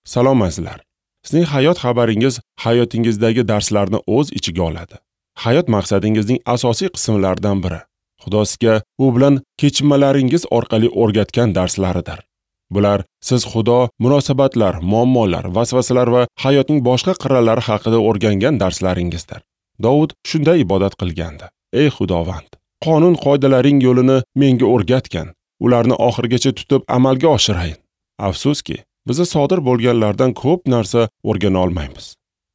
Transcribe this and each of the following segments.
Salom azizlar. Sizning hayot xabaringiz hayotingizdagi darslarni o'z ichiga oladi. Hayot maqsadingizning asosiy qismlaridan biri. Xudo sizga u bilan kechinmalaringiz orqali o'rgatgan darslaridir. Bular siz Xudo, munosabatlar, muammolar, vasvasalar va hayotning boshqa qirralari haqida o'rgangan darslaringizdir. Dovud shunday ibodat qilgandi: Ey Xudovand, qonun qoidalaring yo'lini menga o'rgatgan, ularni oxirigacha tutib amalga oshirayin. Afsuski, biza sodir bo'lganlardan ko'p narsa o'rgana olmaymiz.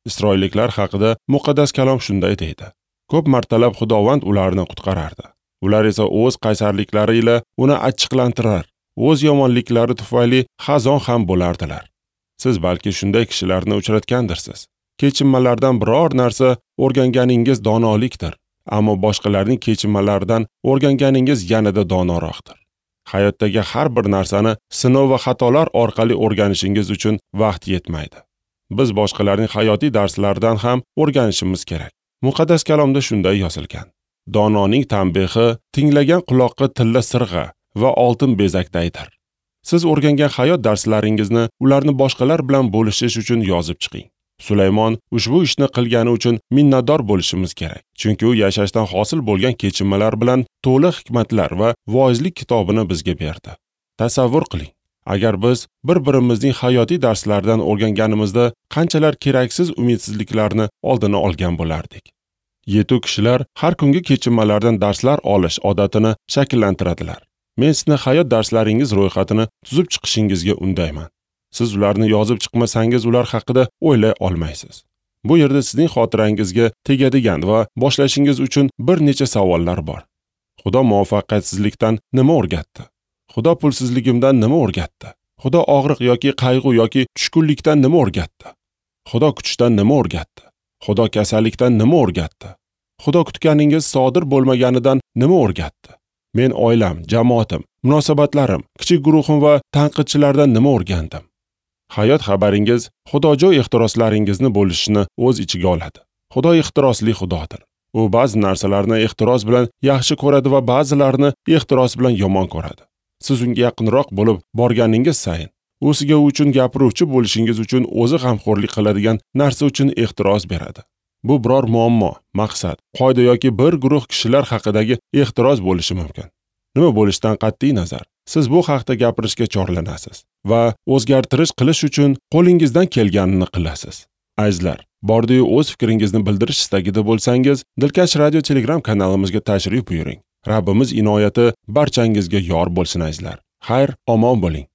Isroilliklar haqida muqaddas kalom shunday deydi: Ko'p martalab Xudovand ularni qutqarardi. Ular esa o'z qaysarliklari ila uni achchiqlantirar, o'z yomonliklari tufayli xazon ham bo'lardilar. Siz balki shunday kishilarni uchratgandirsiz. Kechinmalardan biror narsa o'rganganingiz donolikdir, ammo boshqalarning kechinmalaridan o'rganganingiz yanada donoroqdir. Hayotdagi har bir narsani sinov va xatolar orqali o'rganishingiz uchun vaqt yetmaydi. Biz boshqalarning hayotiy darslaridan ham o'rganishimiz kerak. Muqaddas kalomda shunday yozilgan: Dononing tanbehi tinglagan quloqqa tilla sirg'a va oltin bezakdaydir. Siz o'rgangan hayot darslaringizni ularni boshqalar bilan bo'lishish uchun yozib chiqing. Sulaymon ushbu ishni qilgani uchun minnatdor bo'lishimiz kerak, chunki u yashashdan hosil bo'lgan kechinmalar bilan to'la hikmatlar va voizlik kitobini bizga berdi. Tasavvur qiling, agar biz bir-birimizning hayotiy darslaridan o'rganganimizda qanchalar keraksiz umidsizliklarni oldini olgan bo'lardik. Yetuk kishilar har kungi kechinmalardan darslar olish odatini shakllantiradilar. Men sizni hayot darslaringiz ro'yxatini tuzib chiqishingizga undayman. Siz ularni yozib chiqmasangiz, ular haqida o'ylay olmaysiz. Bu yerda sizning xotirangizga tegadigan va boshlashingiz uchun bir necha savollar bor. Xudo muvaffaqiyatsizlikdan nima o'rgatdi? Xudo pulsizligimdan nima o'rgatdi? Xudo og'riq yoki qayg'u yoki tushkunlikdan nima o'rgatdi? Xudo kutishdan nima o'rgatdi? Xudo kasallikdan nima o'rgatdi? Xudo kutganingiz sodir bo'lmaganidan nima o'rgatdi? Men oilam, jamoatim, munosabatlarim, kichik guruhim va tanqidchilardan nima o'rgandim? Hayot xabaringiz xudojo'y ehtiroslaringizni bo'lishini o'z ichiga oladi. Xudo ehtirosli xudodir. U ba'zi narsalarni ehtiros bilan yaxshi ko'radi va ba'zilarini ehtiros bilan yomon ko'radi. Siz unga yaqinroq bo'lib borganingiz sayin, u sizga uchun gapiruvchi bo'lishingiz uchun o'zi g'amxo'rlik qiladigan narsa uchun ehtiros beradi. Bu biror muammo, maqsad, qoida yoki bir guruh kishilar haqidagi ehtiros bo'lishi mumkin. Nima bo'lishidan qat'iy nazar, siz bu haqda gapirishga chorlanasiz va o'zgartirish qilish uchun qo'lingizdan kelganini qilasiz. Azizlar, bordiyu o'z fikringizni bildirish istagida bo'lsangiz, Dilkash Radio Telegram kanalimizga tashrif buyuring. Rabbimiz inoyati barchangizga yor bo'lsin azizlar. Xayr, omon bo'ling.